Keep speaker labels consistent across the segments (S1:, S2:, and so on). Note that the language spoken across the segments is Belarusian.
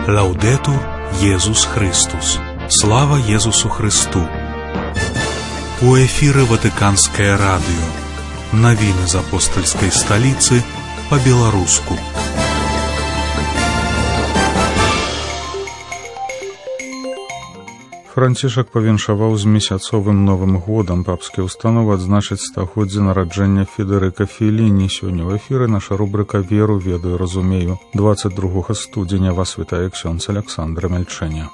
S1: Лаудетур Єсус Христос. Слава Єсусу Христу. У эфире Ватиканское радио. Новины из апостольской столицы по-белорусски.
S2: Францішак павіншаваў з месяцовым Новым годам. Папскія ўстановы адзначаць стагоддзе нараджэння Федэрыка Фелліні. Сёння ў эфіры наша рубрика «Веру, ведаю, разумею». 22 студзеня вас вітае ксёндз Александр Мельчэня.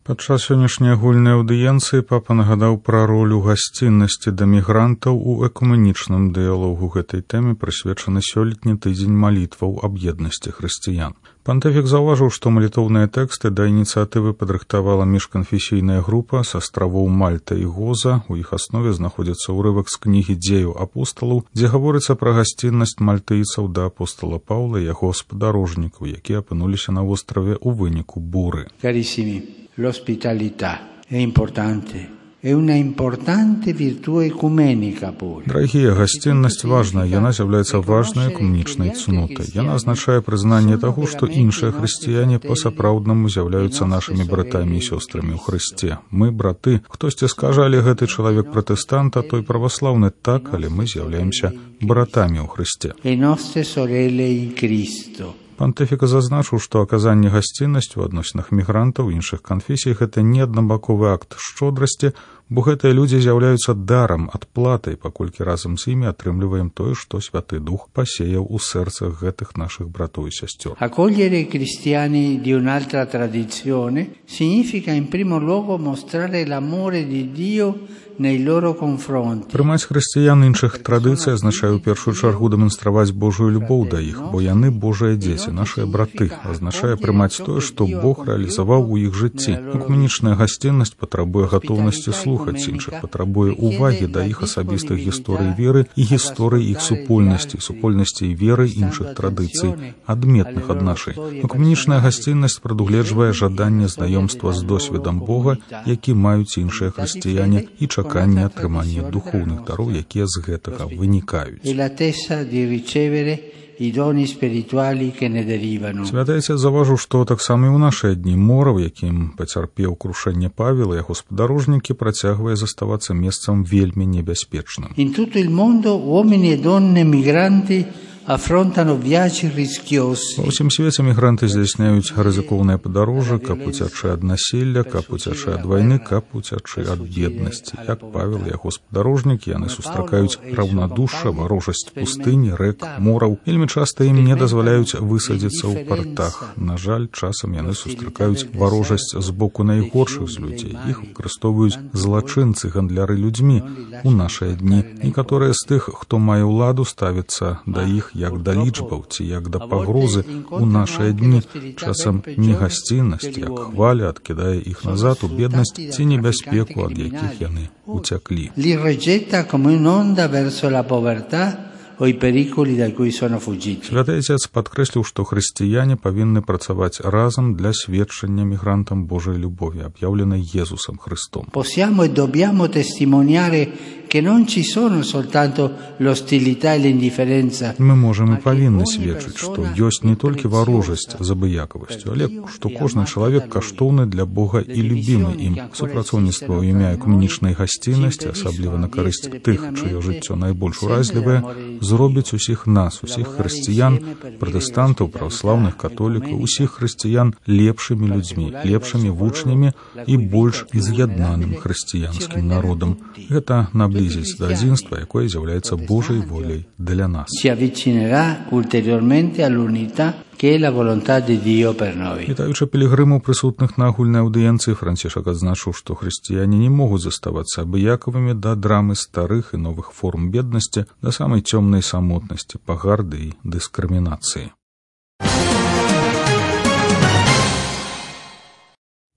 S2: Падчас сённяшняй агульнай аўдыенцыі папа нагадаў пра ролю гасціннасці да мігрантаў у экуменічным дыялогу. Гэтай тэме прысвечаны сёлетні тыдзень малітваў аб еднасці хрысціян. Пантыфік заўважыў, што малітоўныя тэксты да ініцыятывы падрыхтавала міжканфесійная група з астравоў Мальта і Гоза. У іх аснове знаходзіцца ўрывак з кнігі «Дзеяў апосталаў», дзе гаворыцца пра гасціннасць мальтыйцаў да апостала Паўла і яго спадарожнікаў, якія апынуліся на востраве ў выніку буры.
S3: Carissimi, l'ospitalità è importante. È una importante virtù ecumenica pure.
S2: Дарагія, гасціннасць важная, яна з'яўляецца важнай экуменічнай цнотай. Яна азначае прызнанне таго, што іншыя хрысціяне па-сапраўднаму з'яўляюцца нашымі братамі і сёстрамі ў Хрысце. Мы браты. Хтосьці скажа, але гэты чалавек пратэстант, а той праваслаўны. Так, але мы з'яўляемся братамі ў Хрысце.
S3: Le nostre sorelle in Cristo.
S2: Пантыфіка зазначыў, што аказанне гасціннасці ў адносінах мігрантаў іншых канфесій гэта не аднабаковы акт шчодрасці, бо гэтыя людзі з'яўляюцца дарам, адплатай, паколькі разам з імі атрымліваем тое, што Святы Дух пасеяў у сэрцах гэтых нашых братоў і сясцёр.
S3: Accogliere i cristiani di un'altra tradizione significa in primo luogo mostrare l'amore di Dio nei loro confronti.
S2: Прымаць хрысціян іншых традыцый азначае ў першую чаргу дэманстраваць Божую любоў да іх, бо яны Божыя дзеці, нашыя браты. Азначае прымаць тое, што Бог рэалізаваў у іх жыцці. Экуменічная гасціннасць патрабуе гатоўнасці слухаць іншых, патрабуе ўвагі да іх асабістых гісторый веры і гісторый іх супольнасці і веры іншых традыцый, адметных ад нашай. Экуменічная гасціннасць прадугледжвае жаданне знаёмства з досведам Бога, які маюць іншыя хрысціяне, і чаканне атрымання духоўных дароў, якія з гэтага вынікаюць. Святы Отец заўважыў, што таксама і ў нашыя дні мора, у якім пацярпеў крушэнне Павел і яго спадарожнікі, працягвае заставацца месцам вельмі небяспечным.
S3: In tutto il mondo uomini e donne migranti affrontano viaggi rischiosi.
S2: Ва ўсім свеце мігранты здзяйсняюць рызыкоўныя падарожжы, каб уцячы ад насілля, каб уцячы ад вайны, каб уцячы ад беднасці. Як Павел і яго спадарожнікі, яны сустракаюць раўнадушша, варожасць пустыні, рэк, мораў. Вельмі часта ім не дазваляюць высадзіцца ў партах. На жаль, часам яны сустракаюць варожасць з боку найгоршых з людзей. Іх выкарыстоўваюць злачынцы, гандляры людзьмі. У нашыя дні некаторыя з тых, хто мае ўладу, ставяцца да іх як да лічбаў ці як да пагрозы. У нашыя дні часам не гасціннасць, як хваля адкідае іх назад у беднасць ці небяспеку, ад якіх яны уцяклі.
S3: Li rigetta come un'onda verso la povertà o i pericoli da cui sono fuggiti.
S2: Святы Отец падкрэсліў, што хрысціяне павінны працаваць разам для сведчання мігрантам Божай любові, аб'яўленай Єсусом Христом.
S3: Possiamo e dobbiamo testimoniare che non ci sono soltanto l'ostilità e l'indifferenza.
S2: Мы можам і павінны сведчыць, што ёсць не толькі варожасць з абыякавасцю, але што кожны чалавек каштоўны для Бога і любімы ім. Супрацоўніцтва ў імя экуменічнай гасціннасці, асабліва на карысць тых, чыё жыццё найбольш уразлівае, зробіць усіх нас, усіх хрысціян, пратэстантаў, праваслаўных, католікаў, усіх хрысціян лепшымі людзьмі, лепшымі вучнямі і больш з'яднаным хрысціянскім народам. Гэта наблізіць да адзінства, якое з'яўляецца Божай воляй для нас.
S3: Si avvicinerà ulteriormente all'unità che è la volontà di Dio per noi.
S2: Вітаючы пілігрымаў, прысутных на агульнай аўдыенцыі, Францішак адзначыў, што хрысціяне не могуць заставацца абыякавымі да драмы старых і новых форм беднасці, да самай цёмнай самотнасці, пагарды і дыскрымінацыі.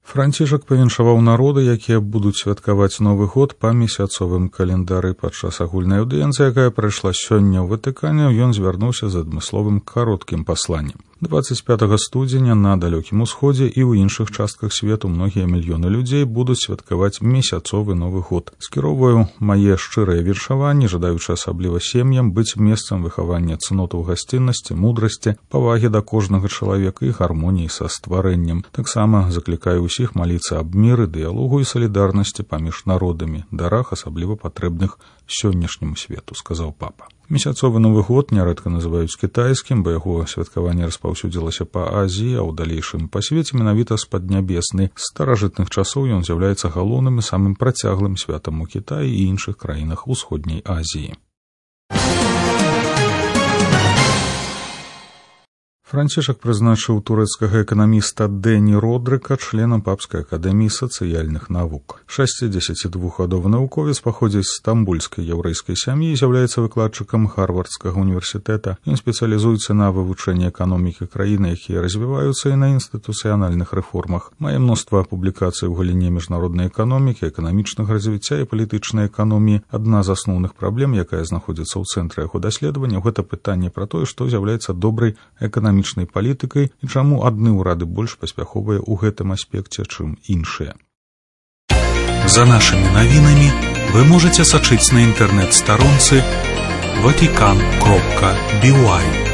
S2: Францішак павіншаваў народы, якія будуць святкаваць Новы год па месяцовым календары. Падчас агульнай аўдыенцыі, якая прайшла сёння ў Ватыкане, ён звярнуўся з адмысловым кароткім пасланнем. 25 студзеня на далёкім усходзе і ў іншых частках свету многія мільёны людзей будуць святкаваць месяцовы Новы год. Скіроўваю мае шчырыя віншаванні, жадаючы асабліва сем'ям быць месцам выхавання цнотаў гасціннасці, мудрасці, павагі да кожнага чалавека і гармоніі са стварэннем. Таксама заклікаю ўсіх маліцца аб міры, дыялогу і салідарнасці паміж народамі, дарах асабліва патрэбных сённяшняму свету, сказаў папа. Месяцовы Новы год нярэдка называюць кітайскім, бо яго святкаванне распаўсюдзілася па Азіі, а ў далейшым па свеце менавіта з паднябеснай. З старажытных часоў ён з'яўляецца галоўным і самым працяглым святам у Кітаі і іншых краінах усходняй Азіі. Францішак прызначыў турэцкага эканаміста Дэні Родрыка членам Папскай акадэміі сацыяльных навук. 62гадовы навуковец паходзіць з стамбульскай яўрэйскай сям'і і з'яўляецца выкладчыкам Харвардскага універсітэта. Ён спецыялізуецца на вывучэнні эканомікі краіны, якія развіваюцца, і на інстытуцыянальных рэформах. Мае мноства публікацый у галіне міжнароднай эканомікі, эканамічнага развіцця і палітычнай эканоміі. Адна з асноўных праблем, якая знаходзіцца ў цэнтры яго даследавання, гэта пытанне пра тое, што з'яўляецца добрай эканамічнай палітыкай і чаму адны ўрады больш паспяховыя ў гэтым аспекце, чым іншыя.
S1: За нашымі навінамі вы можаце сачыць на інтэрнэт-старонцы vatican.by.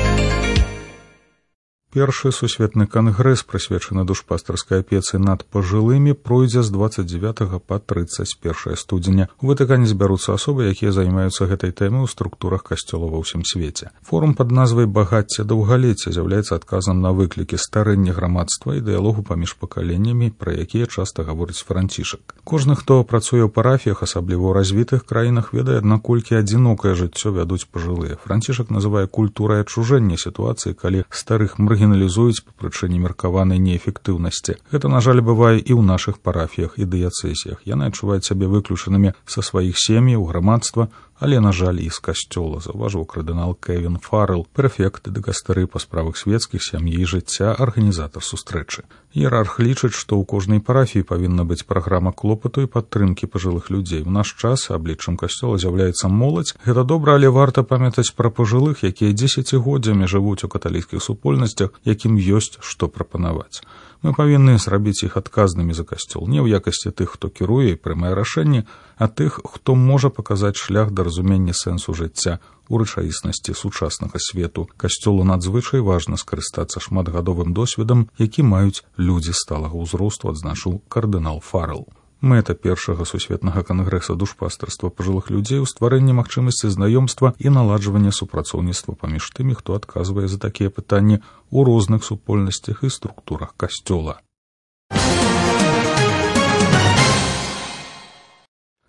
S2: Першы сусветны кангрэс, прысвечаны душпастарскай апецы над пажылымі, пройдзе з 29 па 31 студзеня. У Ватыкане збяруцца асобы, якія займаюцца гэтай тэмай у структурах касцёла ва ўсім свеце. Форум пад назвай «Багацце даўгалецця» з'яўляецца адказам на выклікі старэння грамадства і дыялогу паміж пакаленнямі, пра якія часта гаворыць Францішак. Кожны, хто працуе ў парафіях, асабліва ў развітых краінах, ведае, наколькі адзінокае жыццё вядуць пажылыя. Францішак называе культурай адчужэння сітуацыі, калі старых маргіналізуюць па прычыне меркаванай неэфектыўнасці. Гэта, на жаль, бывае і ў нашых парафіях і дыяцэзіях. Яны адчуваюць сябе выключанымі са сваіх сем'яў, грамадства, але, на жаль, і з касцёла, заўважыў кардынал Кевін Фаррелл, прэфект дыкастары па справах свецкіх, сям'і і жыцця, арганізатар сустрэчы. Іерарх лічыць, што ў кожнай парафіі павінна быць праграма клопату і падтрымкі пажылых людзей. У наш час абліччам касцёла з'яўляецца моладзь. Гэта добра, але варта памятаць пра пажылых, якія дзесяцігоддзямі жывуць у каталіцкіх супольнасцях, якім ёсць што прапанаваць. Мы павінны зрабіць іх адказнымі за касцёл, не ў якасці тых, хто кіруе і прымае рашэнні, а тых, хто можа паказаць шлях да разумення сэнсу жыцця ў рэчаіснасці сучаснага свету. Касцёлу надзвычай важна скарыстацца шматгадовым досведам, які маюць людзі сталага ўзросту, адзначыў кардынал Фаррелл. Мэта першага сусветнага кангрэса душпастарства пажылых людзей у стварэнні магчымасці знаёмства і наладжвання супрацоўніцтва паміж тымі, хто адказвае за такія пытанні ў розных супольнасцях і структурах касцёла.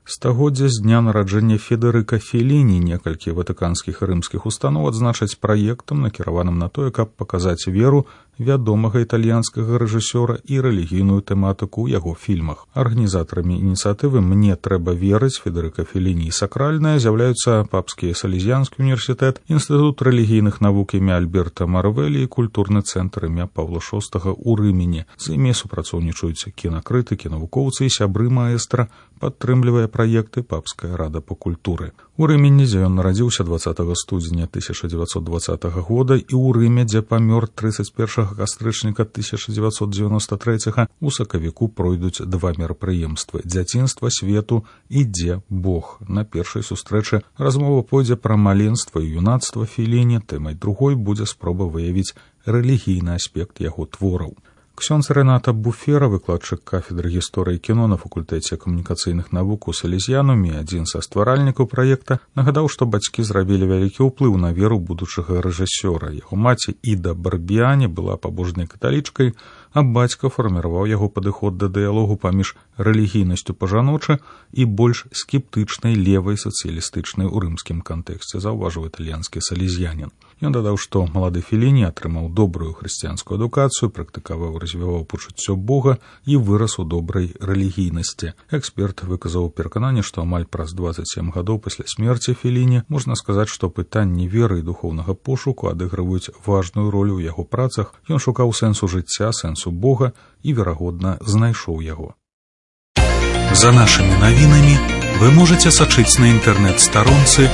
S2: Стагоддзя з дня нараджэння Федэрыка Феліні некалькі ватыканскіх і рымскіх устаноў адзначаць праектам, накіраваным на тое, каб паказаць веру вядомага італьянскага рэжысёра і рэлігійную тэматыку ў яго фільмах. Арганізатарамі ініцыятывы «Мне трэба верыць» Федэрыка Феліні і сакральная з'яўляюцца Папскі Салезіянскі універсітэт, Інстытут рэлігійных навук імя Альберта Марвелі і культурны цэнтр імя Паўла VI ў Рымені. З імі супрацоўнічаюць кінакрытыкі, навукоўцы і сябры маэстра, падтрымлівае праекты Папская рада па культуры. У Рымені, дзе ён нарадзіўся 20 студзеня 1920 года, і ў Рыме, дзе памёр 31 кастрычніка 1993, у сакавіку пройдуць два мерапрыемствы «Дзяцінства свету» і «Дзе Бог». На першай сустрэчы размова пойдзе пра маленства і юнацтва Феліні, тэмай другой будзе спроба выявіць рэлігійны аспект яго твораў. Ксёндз Рэната Буфера, выкладчык кафедры гісторыі кіно на факультэце камунікацыйных навук у Салезіянуме, адзін са стваральнікаў праекта, нагадаў, што бацькі зрабілі вялікі ўплыў на веру будучага рэжысёра. Яго маці Іда Барбіяні была пабожнай каталічкай, а бацька фарміраваў яго падыход да дыялогу паміж рэлігійнасцю па-жаночы і больш скептычнай левай сацыялістычнай у рымскім кантэксце, заўважыў італьянскі салезіянін. Ён дадаў, што малады Феліні атрымаў добрую хрысціянскую адукацыю, практыкаваў, развіваў пачуццё Бога і вырас у добрай рэлігійнасці. Эксперт выказаў перакананне, што амаль праз 27 гадоў пасля смерці Феліні можна сказаць, што пытанні веры і духоўнага пошуку адыгрываюць важную ролю ў яго працах. Ён шукаў сэнсу жыцця, сэнсу Бога і, верагодна, знайшоў яго.
S1: За нашымі навінамі вы можаце сачыць на інтэрнэт-старонцы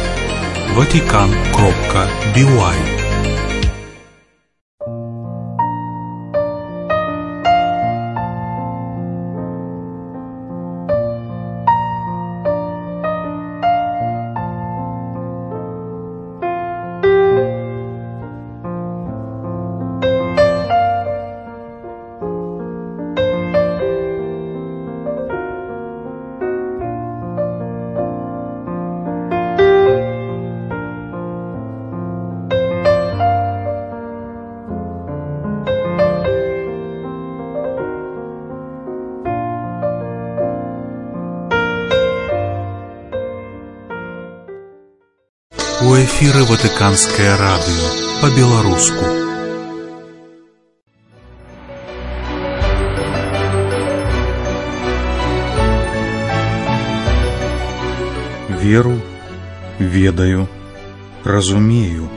S1: vatican.by. У эфіры Ватыканскае радыё па-беларуску.
S2: Веру, ведаю, разумею.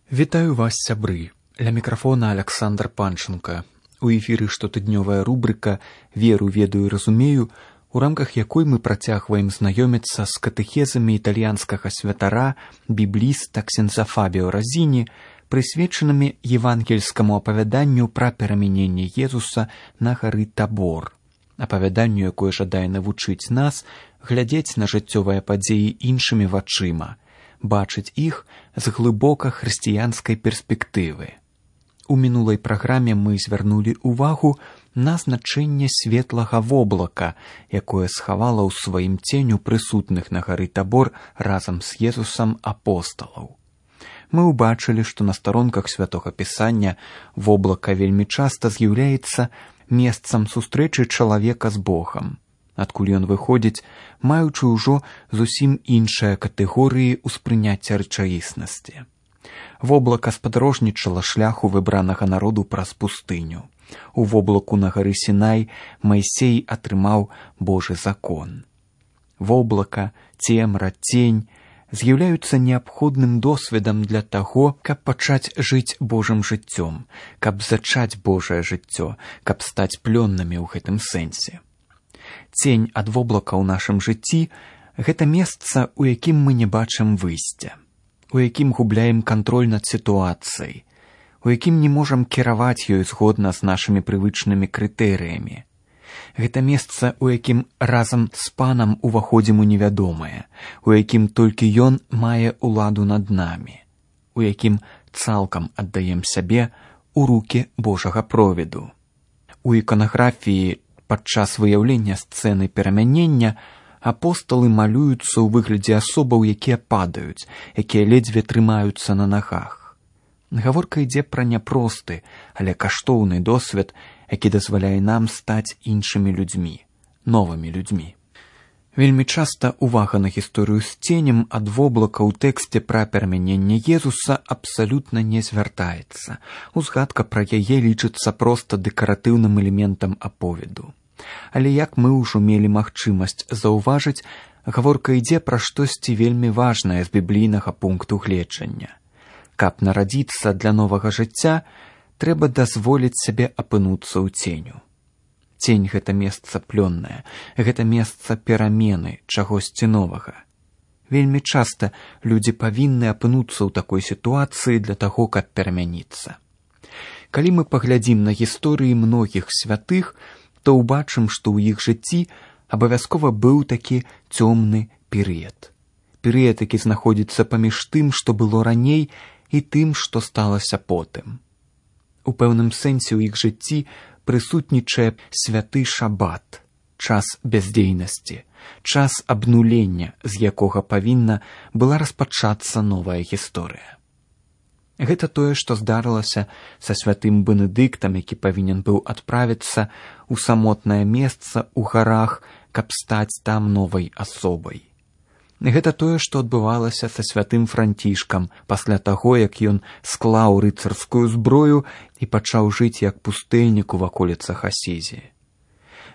S4: Вітаю вас, сябры. Ля мікрафона Александр Панченко. У эфіры штотыднёвая рубрыка «Веру, ведаю, разумею», у рамках якой мы працягваем знаёміцца з катэхезамі італьянскага святара, бібліста ксяндза Фабіо Розіні, прысвечанымі евангельскаму апавяданню пра перамяненне Езуса на гары Табор. Апавяданню, якое жадае навучыць нас глядзець на жыццёвыя падзеі іншымі вачыма, бачыць іх з глыбока хрысціянскай перспектывы. У мінулай праграме мы звярнулі ўвагу на значэнне светлага воблака, якое схавала ў сваім ценю прысутных на гары Табор разам з Езусам апосталаў. Мы ўбачылі, што на старонках святога пісання воблака вельмі часта з'яўляецца месцам сустрэчы чалавека з Богам, адкуль ён выходзіць, маючы ўжо зусім іншыя катэгорыі ўспрыняцця рэчаіснасці. Воблака спадарожнічала шляху выбранага народу праз пустыню. У воблаку на гары Сінай Майсей атрымаў Божы закон. Воблака, цемра, цень з'яўляюцца неабходным досведам для таго, каб пачаць жыць Божым жыццём, каб зачаць Божае жыццё, каб стаць плённымі ў гэтым сэнсе. Цень ад воблака ў нашым жыцці – гэта месца, у якім мы не бачым выйсця, у якім губляем кантроль над сітуацыяй, у якім не можам кіраваць ёй згодна з нашымі прывычнымі крытэрыямі. Гэта месца, у якім разам з Панам уваходзім у невядомае, у якім толькі Ён мае ўладу над намі, у якім цалкам аддаем сябе ў рукі Божага провіду. У іканаграфіі падчас выяўлення сцэны перамянення апосталы малююцца ў выглядзе асобаў, якія падаюць, якія ледзьве трымаюцца на нагах. Гаворка ідзе пра няпросты, але каштоўны досвед, які дазваляе нам стаць іншымі людзьмі, новымі людзьмі. Вельмі часта увага на гісторыю з ценем ад воблака ў тэксце пра перамяненне Езуса абсалютна не звяртаецца. Узгадка пра яе лічыцца проста дэкаратыўным элементам аповеду. Але як мы ўжо мелі магчымасць заўважыць, гаворка ідзе пра штосьці вельмі важнае з біблійнага пункту гледжання. Каб нарадзіцца для новага жыцця, трэба дазволіць сабе апынуцца ў ценю. Цень – гэта месца плённае, гэта месца перамены, чагосьці новага. Вельмі часта людзі павінны апынуцца ў такой сітуацыі для таго, каб перамяніцца. Калі мы паглядзім на гісторыі многіх святых, то ўбачым, што ў іх жыцці абавязкова быў такі цёмны перыяд. Перыяд, які знаходзіцца паміж тым, што было раней, і тым, што сталася потым. У пэўным сэнсе ў іх жыцці прысутнічае святы шабат, час бяздзейнасці, час абнулення, з якога павінна была распачацца новая гісторыя. Гэта тое, што здарылася са святым Бенедыктам, які павінен быў адправіцца ў самотнае месца ў гарах, каб стаць там новай асобай. Гэта тое, што адбывалася са святым Францішкам пасля таго, як ён склаў рыцарскую зброю і пачаў жыць як пустэльнік у ваколіцах Асізі.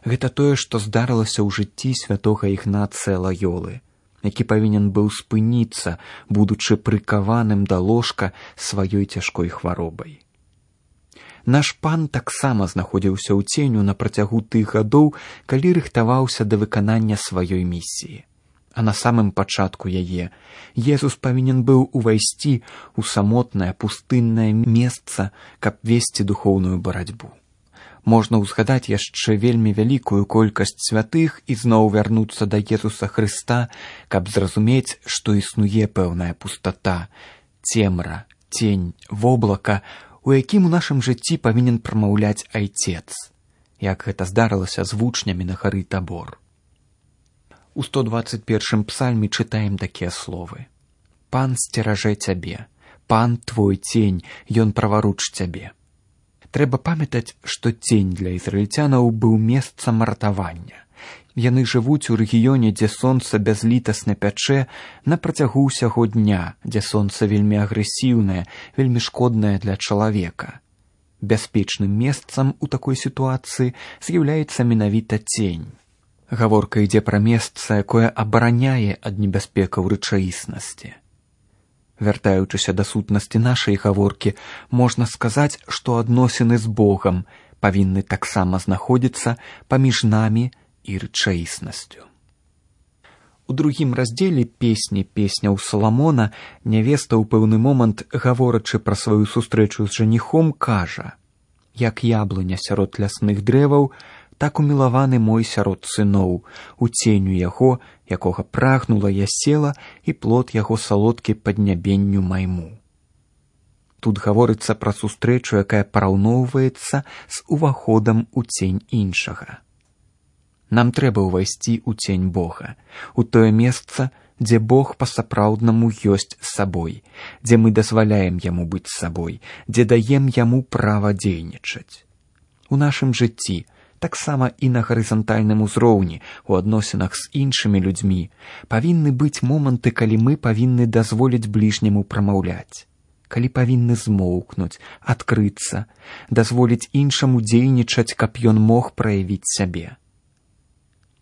S4: Гэта тое, што здарылася ў жыцці святога Ігнацыя Лаёлы, які павінен быў спыніцца, будучы прыкаваным да ложка сваёй цяжкой хваробай. Наш Пан таксама знаходзіўся ў ценю на працягу тых гадоў, калі рыхтаваўся да выканання сваёй місіі. А на самым пачатку яе Езус павінен быў увайсці ў самотнае пустыннае месца, каб весці духоўную барацьбу. Можна ўзгадаць яшчэ вельмі вялікую колькасць святых і зноў вярнуцца да Езуса Хрыста, каб зразумець, што існуе пэўная пустата, цемра, цень, воблака, у якім у нашым жыцці павінен прамаўляць Айцец, як гэта здарылася з вучнямі на гары Табор. У 121 псальме чытаем такія словы. «Пан сцеражэ цябе, пан твой цень, ён праваруч цябе». Трэба памятаць, што цень для ізраільцянаў быў месцам ратавання, Яны жывуць у рэгіёне, дзе сонца бязлітасна пячэ на працягу ўсяго дня, дзе сонца вельмі агрэсіўнае, вельмі шкоднае для чалавека. Бяспечным месцам у такой сітуацыі з'яўляецца менавіта цень. Гаворка ідзе пра месца, якое абараняе ад небяспекаў рэчаіснасці. Вяртаючыся да сутнасці нашай гаворкі, можна сказаць, што адносіны з Богам павінны таксама знаходзіцца паміж намі і рэчаіснасцю. У другім раздзеле песні «Песняў Саламона» нявеста ў пэўны момант, гаворачы пра сваю сустрэчу з жаніхом, кажа: «Як яблыня сярод лясных дрэваў, так умілаваны мой сярод сыноў, у ценю яго, якога прагнула я села, і плод яго салодкі паднябенню майму». Тут гаворыцца пра сустрэчу, якая параўноўваецца з уваходам у цень іншага. Нам трэба ўвайсці ў цень Бога, у тое месца, дзе Бог па-сапраўднаму ёсць з сабой, дзе мы дазваляем Яму быць сабой, дзе даем Яму права дзейнічаць. У нашым жыцці, таксама і на гарызантальным узроўні, у адносінах з іншымі людзьмі, павінны быць моманты, калі мы павінны дазволіць бліжняму прамаўляць, калі павінны змоўкнуць, адкрыцца, дазволіць іншаму дзейнічаць, каб ён мог праявіць сябе.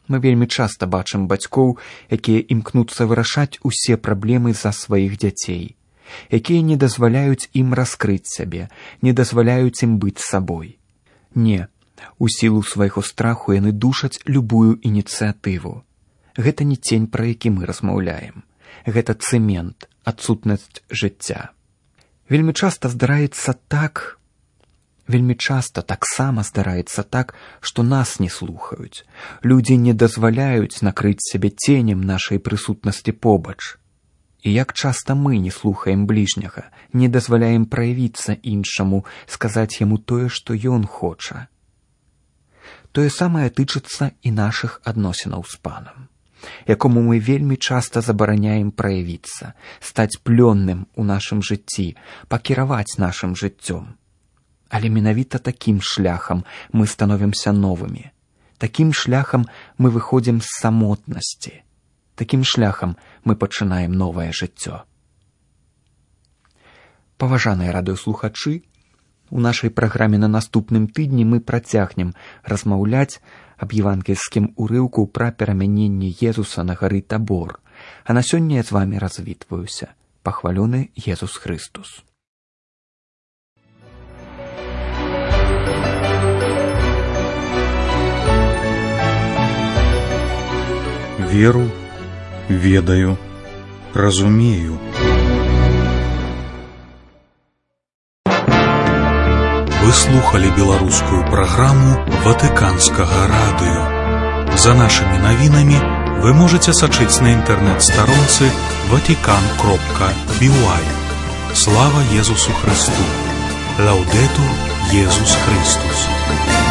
S4: Мы вельмі часта бачым бацькоў, якія імкнуцца вырашаць усе праблемы за сваіх дзяцей, якія не дазваляюць ім раскрыць сябе, не дазваляюць ім быць сабой. Не, у сілу свайго страху яны душаць любую ініцыятыву. Гэта не цень, пра які мы размаўляем. Гэта цэмент, адсутнасць жыцця. Вельмі часта таксама здараецца так, што нас не слухаюць. Людзі не дазваляюць накрыць сябе ценем нашай прысутнасці побач. І як часта мы не слухаем бліжняга, не дазваляем праявіцца іншаму, сказаць яму тое, што ён хоча. Тое самае тычыцца і нашых адносінаў з Панам, якому мы вельмі часта забараняем праявіцца, стаць плённым у нашым жыцці, пакіраваць нашым жыццём. Але менавіта такім шляхам мы становімся новымі. Такім шляхам мы выходзім з самотнасці. Такім шляхам мы пачынаем новае жыццё. Паважаныя радыёслухачы, у нашай праграме на наступным тыдні мы працягнем размаўляць аб евангельскім урыўку пра перамяненне Езуса на гары Табор. А на сёння я з вамі развітваюся. Пахвалёны Езус Хрыстус.
S1: Веру, ведаю, разумею. Вы слухали беларускую праграму Ватыканскага радыё. За нашымі навінамі вы можаце сачыць на інтэрнэт-старонцы vatican.by. Слава Езусу Христу! Лаўдэтур Езус Христус!